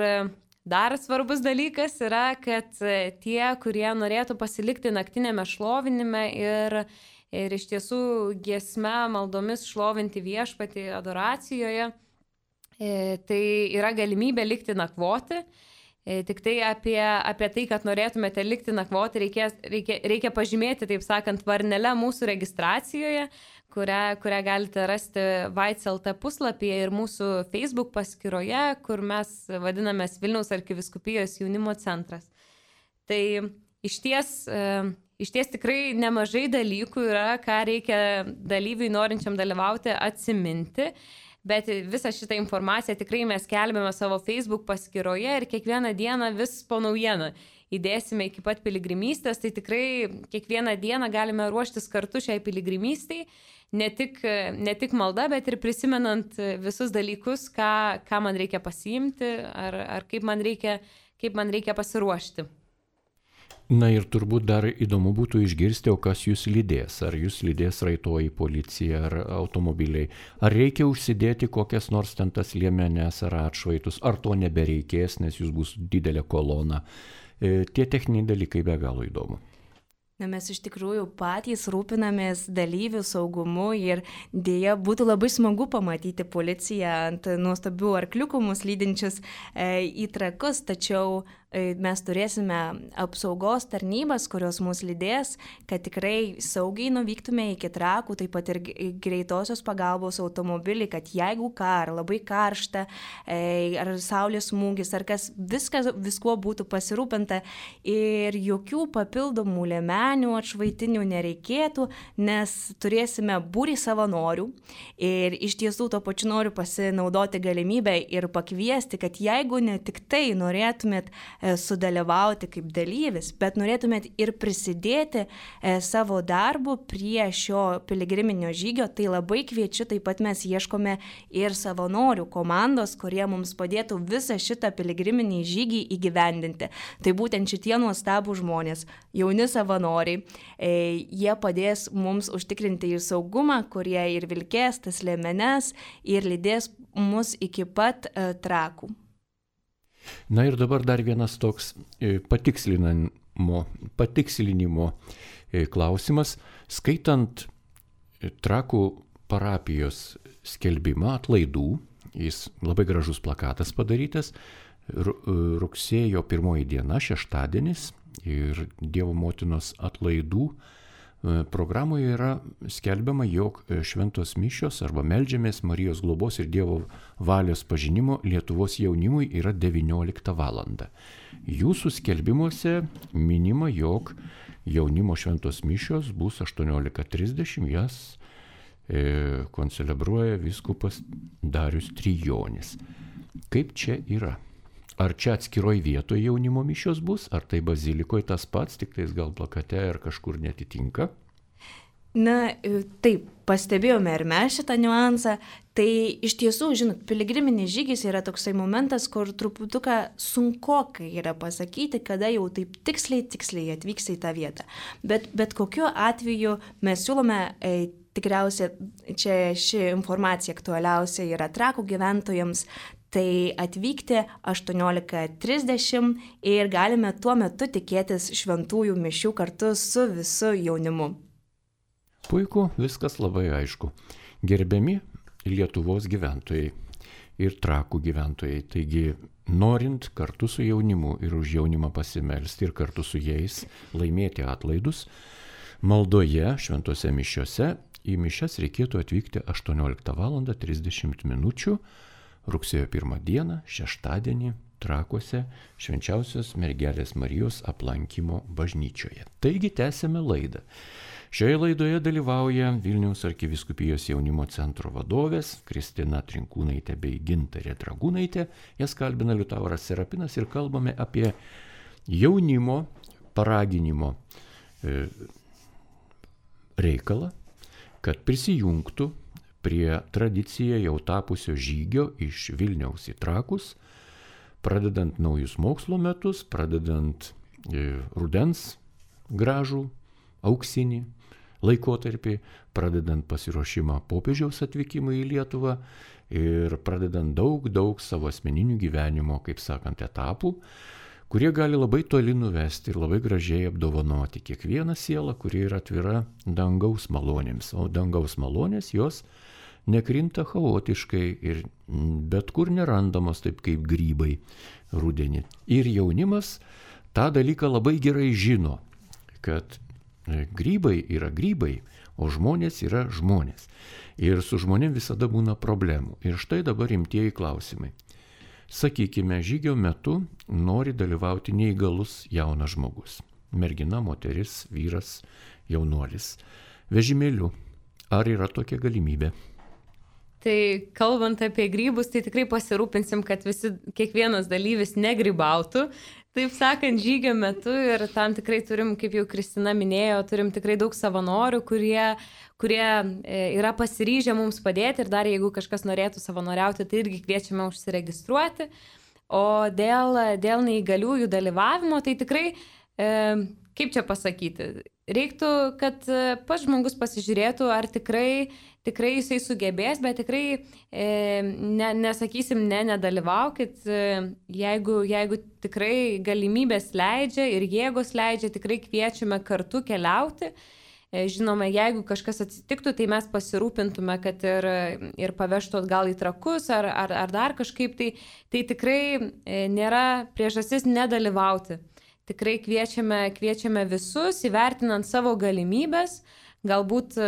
dar svarbus dalykas yra, kad tie, kurie norėtų pasilikti naktinėme šlovinime ir iš tiesų giesme, maldomis šlovinti viešpatį adoracijoje, tai yra galimybė likti nakvoti. Tik tai apie tai, kad norėtumėte likti nakvoti, reikia pažymėti, taip sakant, varnelę mūsų registracijoje, kurią galite rasti Vaits.lt puslapyje ir mūsų Facebook paskyroje, kur mes vadinamės Vilniaus arkivyskupijos jaunimo centras. Tai iš ties tikrai nemažai dalykų yra, ką reikia dalyviui norinčiam dalyvauti atsiminti. Bet visą šitą informaciją tikrai mes kelbėme savo Facebook paskyroje ir kiekvieną dieną vis po naujieną įdėsime iki pat piligrimystės, tai tikrai kiekvieną dieną galime ruoštis kartu šiai piligrimystei, ne tik malda, bet ir prisimenant visus dalykus, ką man reikia pasiimti ar kaip man reikia pasiruošti. Na ir turbūt dar įdomu būtų išgirsti, o kas jūs lydės. Ar jūs lydės raitoji policija, ar automobiliai. Ar reikia užsidėti kokias nors ten tas liemenes ar atšvaitus, ar to nebereikės, nes jūs bus didelė kolona. Tie techniniai dalykai be galo įdomu. Na, mes iš tikrųjų patys rūpinamės dalyvių saugumu ir dėja būtų labai smagu pamatyti policiją ant nuostabių arkliukų mus lydinčius į Trakus, tačiau mes turėsime apsaugos tarnybas, kurios mus lydės, kad tikrai saugiai nuvyktume iki Trakų, taip pat ir greitosios pagalbos automobilį, kad jeigu labai karšta, ar saulės smūgis, ar kas, viskuo būtų pasirūpinta ir jokių papildomų liemenių, atšvaitinių nereikėtų, nes turėsime būrį savanorių ir iš tiesų to pačiu noriu pasinaudoti galimybę ir pakviesti, kad jeigu ne tik tai norėtumėt sudalyvauti kaip dalyvis, bet norėtumėt ir prisidėti savo darbu prie šio piligriminio žygio, tai labai kviečiu, taip pat mes ieškome ir savanorių komandos, kurie mums padėtų visą šitą piligriminį žygį įgyvendinti. Tai būtent šitie nuostabų žmonės, jauni savanoriai, jie padės mums užtikrinti ir saugumą, kurie ir vilkės tas liemenes ir lydės mus iki pat Trakų. Na ir dabar dar vienas toks patikslinimo klausimas. Skaitant Trakų parapijos skelbimą atlaidų, jis labai gražus plakatas padarytas, rugsėjo 1 diena, šeštadienis ir Dievo motinos atlaidų programoje yra skelbiama, jog šventos mišios arba meldžiamės Marijos globos ir Dievo valios pažinimo Lietuvos jaunimui yra 19 valandą. Jūsų skelbimuose minima, jog jaunimo šventos mišios bus 18:30, jas koncelebruoja vyskupas Darius Trijonis. Kaip čia yra? Ar čia atskiroj vietoje jaunimo mišios bus, ar tai bazilikoje tas pats, tik tais gal plakate ar kažkur netitinka? Na, taip, pastebėjome ir mes šitą niuansą. Tai iš tiesų, žinot, piligriminis žygis yra toksai momentas, kur truputuką sunkokai yra pasakyti, kada jau taip tiksliai atvyks į tą vietą. Bet kokiu atveju mes siūlome tikriausiai čia ši informacija aktualiausia yra Trakų gyventojams. Tai atvykti 18:30 ir galime tuo metu tikėtis šventųjų mišių kartu su visu jaunimu. Puiku, viskas labai aišku. Gerbiami Lietuvos gyventojai ir Trakų gyventojai, taigi norint kartu su jaunimu ir už jaunimą pasimelsti ir kartu su jais laimėti atlaidus, maldoje šventose mišiose į mišias reikėtų atvykti 18:30 min. Rugsėjo 1 dieną, šeštadienį, Trakuose Švenčiausios Mergelės Marijos aplankymo bažnyčioje. Taigi tęsėme laidą. Šioje laidoje dalyvauja Vilniaus arkivyskupijos jaunimo centro vadovės Kristina Trinkūnaitė bei Gintarė Dragūnaitė. Jas kalbina Liutauras Serapinas ir kalbame apie jaunimo paraginimo reikalą, kad prisijungtų prie tradiciją jau tapusio žygio iš Vilniaus į Trakus, pradedant naujus mokslo metus, pradedant rudens gražų, auksinį laikotarpį, pradedant pasiruošimą popiežiaus atvykimui į Lietuvą ir pradedant daug savo asmeninių gyvenimo, kaip sakant, etapų, kurie gali labai toli nuvesti ir labai gražiai apdovanoti kiekvieną sielą, kuri yra atvira dangaus malonėms. O dangaus malonės jos nekrinta chaotiškai ir bet kur nerandamos taip kaip grybai rudenį. Ir jaunimas tą dalyką labai gerai žino, kad grybai yra grybai, o žmonės yra žmonės. Ir su žmonėm visada būna problemų. Ir štai dabar rimtieji klausimai. Sakykime, žygio metu nori dalyvauti neįgalus jaunas žmogus. Mergina, moteris, vyras, jaunuolis. Vežimėliu. Ar yra tokia galimybė? Tai kalbant apie grybus, tai tikrai pasirūpinsim, kad kiekvienas dalyvis negrybautų, taip sakant, žygio metu ir tam tikrai turim, kaip jau Kristina minėjo, turim tikrai daug savanorių, kurie yra pasiryžę mums padėti ir dar jeigu kažkas norėtų savanoriauti, tai irgi kviečiame užsiregistruoti. O dėl neįgaliųjų dalyvavimo, tai tikrai, kaip čia pasakyti, reiktų, kad pats žmogus pasižiūrėtų, ar tikrai jisai sugebės, bet tikrai nesakysim, nedalyvaukit, jeigu tikrai galimybės leidžia ir jėgos leidžia, tikrai kviečiame kartu keliauti. Žinoma, jeigu kažkas atsitiktų, tai mes pasirūpintume, kad ir pavežtų atgal į Trakus ar dar kažkaip, tai tikrai nėra priežastis nedalyvauti. Tikrai kviečiame visus, įvertinant savo galimybės, galbūt,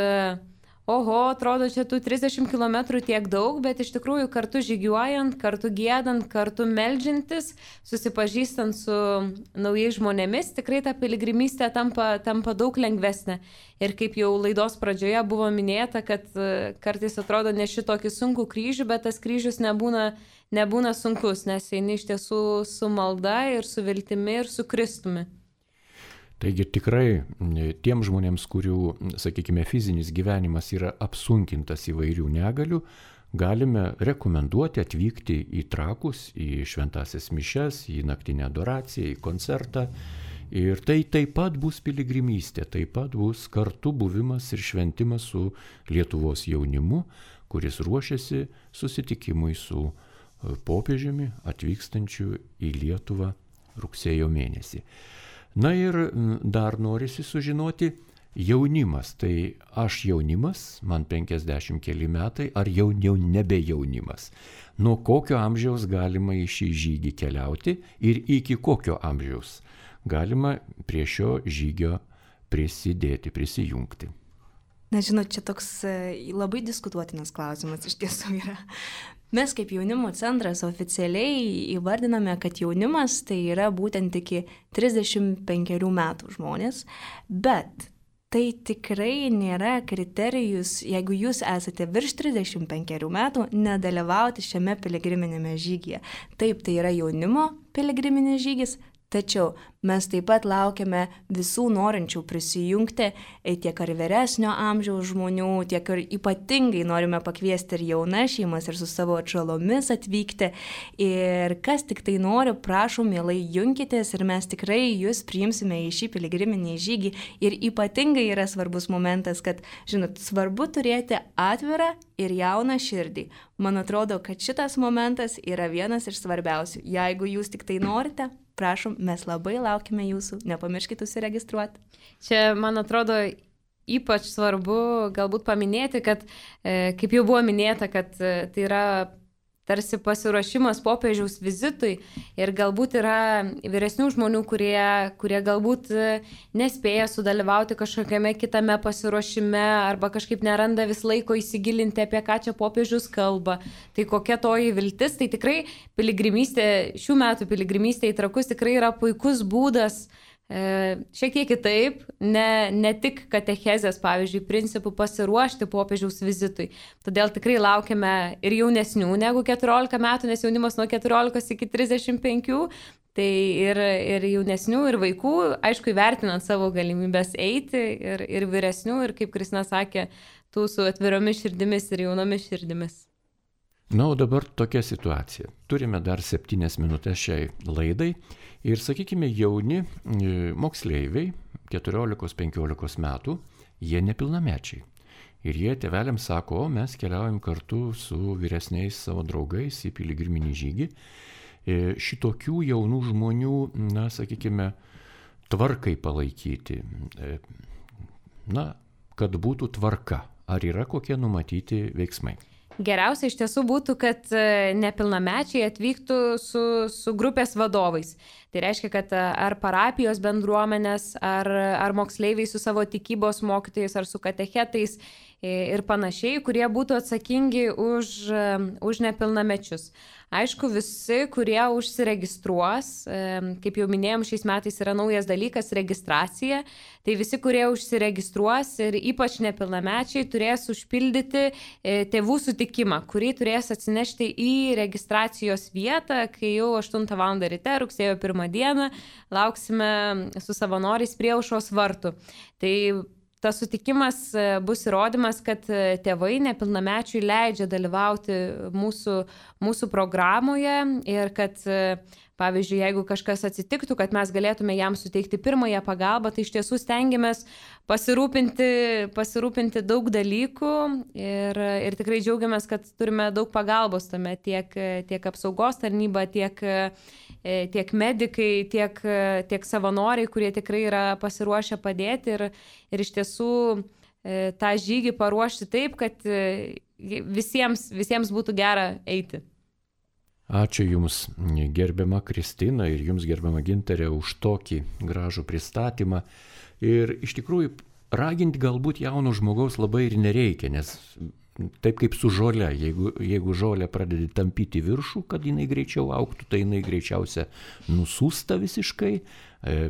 atrodo, čia tų 30 km tiek daug, bet iš tikrųjų kartu žygiuojant, kartu giedant, kartu meldžiantis, susipažįstant su naujais žmonėmis, tikrai ta piligrimystė tampa daug lengvesnė. Ir kaip jau laidos pradžioje buvo minėta, kad kartais atrodo neši tokį sunkų kryžių, bet tas kryžius nebūna sunkus, nes eini iš tiesų su malda ir su viltimi ir su Kristumi. Taigi tikrai tiem žmonėms, kurių, sakykime, fizinis gyvenimas yra apsunkintas įvairių negalių, galime rekomenduoti atvykti į Trakus, į šventąsias mišias, į naktinę adoraciją, į koncertą. Ir tai taip pat bus piligrimystė, taip pat bus kartu buvimas ir šventimas su Lietuvos jaunimu, kuris ruošiasi susitikimui su popiežiumi atvykstančiu į Lietuvą rugsėjo mėnesį. Na ir dar norisi sužinoti, jaunimas, tai aš jaunimas, man 50 keli metai, ar jau nebe jaunimas. Nuo kokio amžiaus galima į šį žygį keliauti ir iki kokio amžiaus galima prie šio žygio prisijungti. Na, žinot, čia toks labai diskutuotinas klausimas iš tiesų yra. Mes kaip jaunimo centras oficialiai įvardiname, kad jaunimas tai yra būtent iki 35 metų žmonės, bet tai tikrai nėra kriterijus, jeigu jūs esate virš 35 metų, nedalyvauti šiame piligriminėme žygyje. Taip, tai yra jaunimo piligriminis žygis, Tačiau mes taip pat laukiame visų norinčių prisijungti, tiek ar vyresnio amžiaus žmonių, tiek ir ypatingai norime pakviesti ir jaunas šeimas ir su savo atžalomis atvykti. Ir kas tik tai nori, prašom, mielai junkitės ir mes tikrai jūs priimsime į šį piligriminį žygį. Ir ypatingai yra svarbus momentas, kad, žinot, svarbu turėti atvirą ir jauną širdį. Man atrodo, kad šitas momentas yra vienas iš svarbiausių. Jeigu jūs tik tai norite, prašom, mes labai laukime jūsų, nepamirškite užsiregistruoti. Čia, man atrodo, ypač svarbu galbūt paminėti, kad, kaip jau buvo minėta, kad tai yra tarsi pasiruošimas popiežiaus vizitui ir galbūt yra vyresnių žmonių, kurie galbūt nespėja sudalyvauti kažkokiame kitame pasiruošime arba kažkaip neranda vis laiko įsigilinti, apie ką čia popiežius kalba. Tai kokia toji viltis, tai tikrai piligrimystė, šių metų piligrimystė į Trakus tikrai yra puikus būdas šiek tiek kitaip, ne tik katechezės, pavyzdžiui, principų pasiruošti popiežiaus vizitui. Todėl tikrai laukiame ir jaunesnių negu 14 metų, nes jaunimas nuo 14 iki 35, tai ir jaunesnių, ir vaikų, aišku, įvertinant savo galimybės eiti, ir vyresnių, ir kaip Kristina sakė, tų su atviromis širdimis ir jaunomis širdimis. Na, o dabar tokia situacija. Turime dar 7 minutės šiai laidai ir, sakykime, jauni moksleiviai, 14-15 metų, jie nepilnamečiai. Ir jie tėveliams sako, o mes keliaujam kartu su vyresniais savo draugais į piligriminį žygį. Šitokių jaunų žmonių, na, sakykime, tvarkai palaikyti. Na, kad būtų tvarka. Ar yra kokie numatyti veiksmai? Geriausia iš tiesų būtų, kad nepilnamečiai atvyktų su grupės vadovais. Tai reiškia, kad ar parapijos bendruomenės, ar moksleiviai su savo tikybos mokytojais, ar su katechetais ir panašiai, kurie būtų atsakingi už nepilnamečius. Aišku, visi, kurie užsiregistruos, kaip jau minėjom, šiais metais yra naujas dalykas - registracija, tai visi, kurie užsiregistruos ir ypač nepilnamečiai turės užpildyti tėvų sutikimą, kurį turės atsinešti į registracijos vietą, kai jau 8 val. Ryte, rugsėjo 1 dieną, lauksime su savanoriais prie aušros vartų. Tai tas sutikimas bus įrodymas, kad tėvai nepilnamečiui leidžia dalyvauti mūsų programoje ir kad, pavyzdžiui, jeigu kažkas atsitiktų, kad mes galėtume jam suteikti pirmąją pagalbą, tai iš tiesų stengiamės pasirūpinti daug dalykų ir tikrai džiaugiamės, kad turime daug pagalbos tame, tiek apsaugos tarnyba, tiek medikai, tiek savanoriai, kurie tikrai yra pasiruošę padėti ir iš tiesų tą žygį paruošti taip, kad visiems būtų gera eiti. Ačiū Jums, gerbiama Kristina, ir Jums, gerbiama Gintarė, už tokį gražų pristatymą. Ir iš tikrųjų raginti galbūt jauno žmogaus labai ir nereikia, nes taip kaip su žole, jeigu žolė pradedi tampyti viršų, kad jinai greičiau augtų, tai jinai greičiausia nusūsta visiškai,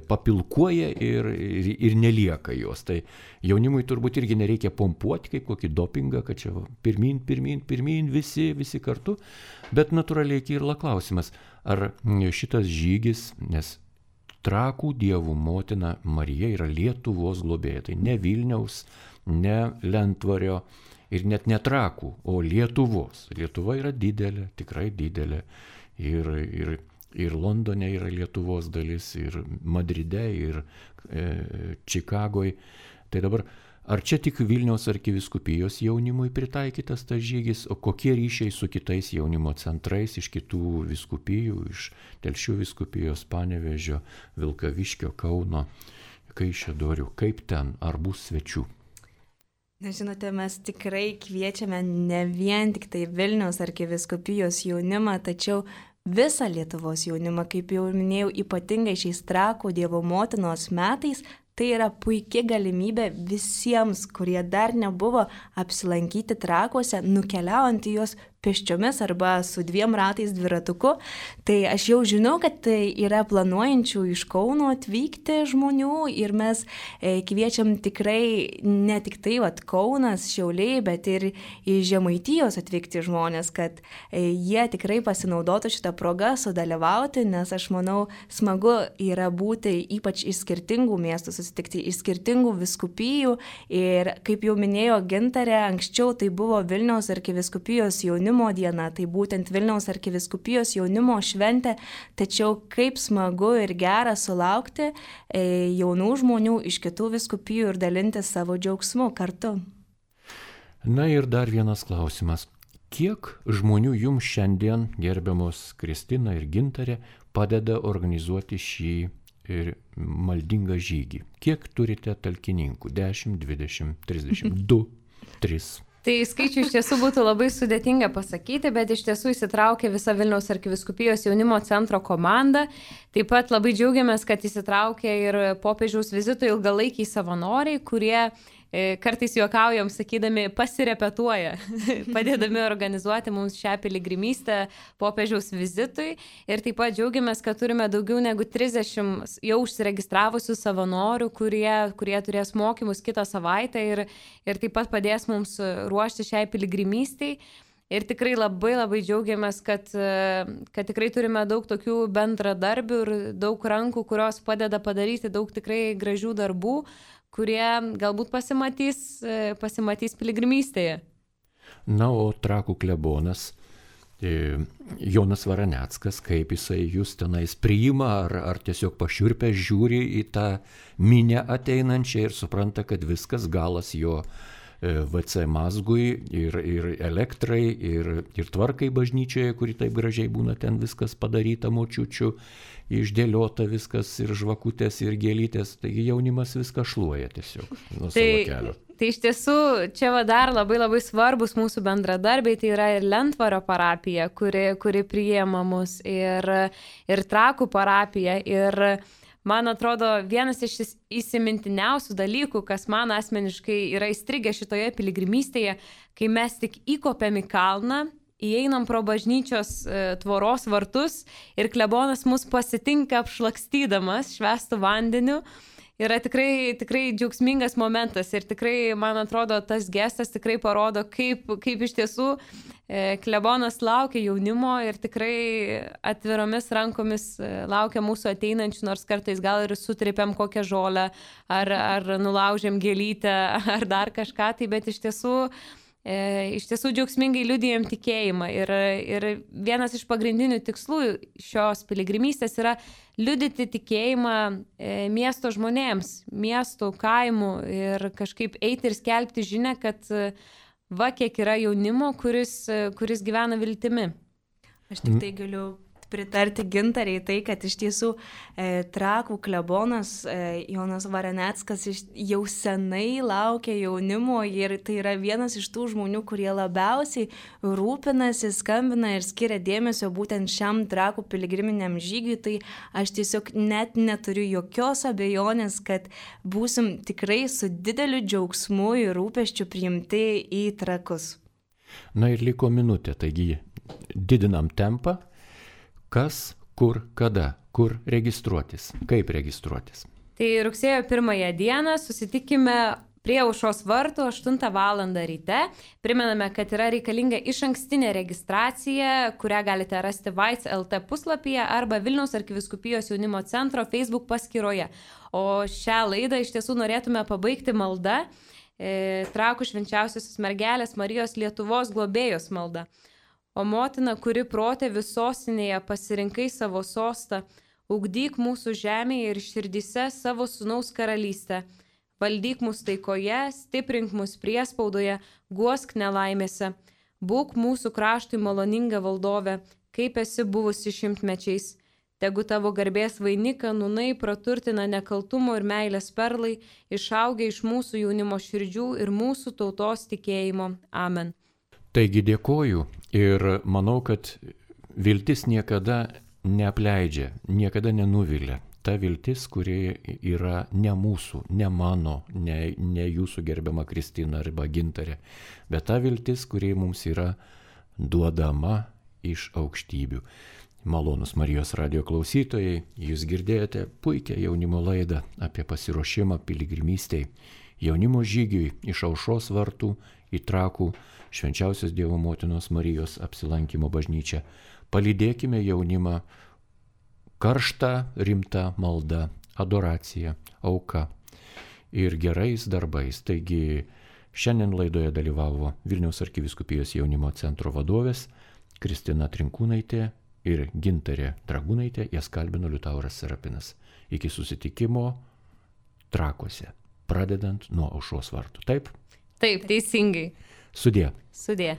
papilkuoja ir nelieka jos. Tai jaunimui turbūt irgi nereikia pompuoti kaip kokį dopingą, kad čia pirmin, visi kartu. Bet natūraliai kyla klausimas, ar šitas žygis, nes Trakų dievų motina Marija yra Lietuvos globėja, tai ne Vilniaus, ne Lentvario ir net ne Trakų, o Lietuvos. Lietuva yra didelė, tikrai didelė. Ir Londone yra Lietuvos dalis, ir Madride, ir Čikagoje. Tai dabar, ar čia tik Vilniaus arkivyskupijos jaunimui pritaikytas tas žygis, o kokie ryšiai su kitais jaunimo centrais iš kitų vyskupijų, iš Telšių vyskupijos, Panevėžio, Vilkaviškio, Kauno, Kaišiadorių, kaip ten, ar bus svečių? Na, žinote, mes tikrai kviečiame ne vien tik tai Vilniaus arkivyskupijos jaunimą, tačiau visą Lietuvos jaunimą, kaip jau minėjau, ypatingai šiais Trakų Dievo motinos metais. Tai yra puikia galimybė visiems, kurie dar nebuvo apsilankyti Trakuose, nukeliaujant į juos pėsčiomis arba su 2 ratais dviratuku. Tai aš jau žinau, kad tai yra planuojančių iš Kauno atvykti žmonių ir mes kviečiam tikrai ne tik tai Kaunas, Šiauliai, bet ir iš Žemaitijos atvykti žmonės, kad jie tikrai pasinaudotų šitą progą sudalyvauti, nes aš manau smagu yra būti ypač iš skirtingų miestų, susitikti iš skirtingų vyskupijų ir kaip jau minėjo Gintarė, anksčiau tai buvo Vilniaus arkivyskupijos jaunimo diena, tai būtent Vilniaus arkivyskupijos jaunimo šventė, tačiau kaip smagu ir gera sulaukti jaunų žmonių iš kitų vyskupijų ir dalinti savo džiaugsmu kartu. Na ir dar vienas klausimas. Kiek žmonių jums šiandien, gerbiamos Kristina ir Gintarė, padeda organizuoti šį maldingą žygį? Kiek turite talkininkų? 10, 20, 30, 2, 3? Tai skaičių iš tiesų būtų labai sudėtinga pasakyti, bet iš tiesų įsitraukė visa Vilniaus arkivyskupijos jaunimo centro komanda. Taip pat labai džiaugiamės, kad įsitraukė ir popiežiaus vizito ilgalaikiai savanoriai, kurie kartais juokaujam, sakydami, pasirepetuoja, padėdami organizuoti mums šią piligrimystę popiežiaus vizitui. Ir taip pat džiaugiamės, kad turime daugiau negu 30 jau užsiregistravusių savanorių, kurie turės mokymus kitą savaitę ir taip pat padės mums ruošti šiai piligrimystei. Ir tikrai labai džiaugiamės, kad tikrai turime daug tokių bendradarbių ir daug rankų, kurios padeda padaryti daug tikrai gražių darbų, kurie galbūt pasimatys piligrimystėje. Na, o Trakų klebonas Jonas Varaneckas, kaip jisai jūs tenais priima, ar tiesiog pašiurpę žiūri į tą minią ateinančią ir supranta, kad viskas galas jo VC mazgui ir elektrai ir tvarkai bažnyčioje, kuri taip gražiai būna ten viskas padaryta močiučių, išdėliota viskas ir žvakutės ir gėlytės, taigi jaunimas viską šluoja tiesiog nuo savo kelio. Tai iš tiesų čia dar labai svarbus mūsų bendradarbiai, tai yra ir Lentvaro parapija, kuri priėma mus, ir Trakų parapija. Ir man atrodo, vienas iš įsimintiniausių dalykų, kas man asmeniškai yra įstrigę šitoje piligrimystėje, kai mes tik įkopėm į kalną, įeinam pro bažnyčios tvoros vartus ir klebonas mus pasitinka apšlakstydamas švęstų vandeniu. Yra tikrai džiaugsmingas momentas ir tikrai, man atrodo, tas gestas tikrai parodo, kaip iš tiesų klebonas laukia jaunimo ir tikrai atviromis rankomis laukia mūsų ateinančių, nors kartais gal ir sutripėm kokią žolę ar nulaužėm gėlytę ar dar kažką, tai bet iš tiesų džiaugsmingai liudijam tikėjimą ir vienas iš pagrindinių tikslų šios piligrimystės yra liudyti tikėjimą miesto žmonėms, miestų, kaimų ir kažkaip eiti ir skelbti žinią, kad va kiek yra jaunimo, kuris gyvena viltimi. Aš tik tai galiu pritarti Gintariai tai, kad iš tiesų Trakų klebonas Jonas Varaneckas jau senai laukia jaunimo ir tai yra vienas iš tų žmonių, kurie labiausiai rūpinasi, skambina ir skiria dėmesio būtent šiam Trakų piligriminiam žygiui, tai aš tiesiog net neturiu jokios abejonės, kad būsim tikrai su dideliu džiaugsmu ir rūpesčiu priimti į Trakus. Na ir liko minutė, taigi didinam tempą. Kas, kur, kada, kur registruotis, kaip registruotis? Tai rugsėjo 1 dieną susitikime prie aušros vartų 8 val. Ryte. Primename, kad yra reikalinga išankstinė registracija, kurią galite rasti Vaits LT puslapyje arba Vilniaus arkivyskupijos jaunimo centro Facebook paskyroje. O šią laidą iš tiesų norėtume pabaigti malda, Trakų švenčiausiosios mergelės Marijos Lietuvos globėjos malda. O motina, kuri protėvių sostinėje pasirinkai savo sostą, ugdyk mūsų žemėje ir širdyse savo sūnaus karalystę. Valdyk mus taikoje, stiprink mus priespaudoje, guosk nelaimėse. Būk mūsų kraštui maloninga valdove, kaip esi buvusi šimtmečiais. Tegu tavo garbės vainiką nūnai praturtina nekaltumo ir meilės perlai, išaugia iš mūsų jaunimo širdžių ir mūsų tautos tikėjimo. Amen. Taigi dėkoju ir manau, kad viltis niekada neapleidžia, niekada nenuvilia. Ta viltis, kuri yra ne mūsų, ne mano, ne jūsų gerbiama Kristina arba Gintarė, bet ta viltis, kuri mums yra duodama iš aukštybių. Malonus Marijos radijo klausytojai, jūs girdėjote puikią jaunimo laidą apie pasiruošimą piligrimystei, jaunimo žygiui iš Aušros vartų į Trakų Švenčiausios Dievo Motinos Marijos apsilankimo bažnyčią. Palydėkime jaunimą karšta, rimta malda, adoracija, auka ir gerais darbais. Taigi šiandien laidoje dalyvavo Vilniaus arkivyskupijos jaunimo centro vadovės Kristina Trinkūnaitė ir Gintarė Dragūnaitė, jas kalbino Liutauras Serapinas. Iki susitikimo Trakuose, pradedant nuo Aušros vartų. Taip? Taip, teisingai. Sudie. Sudie.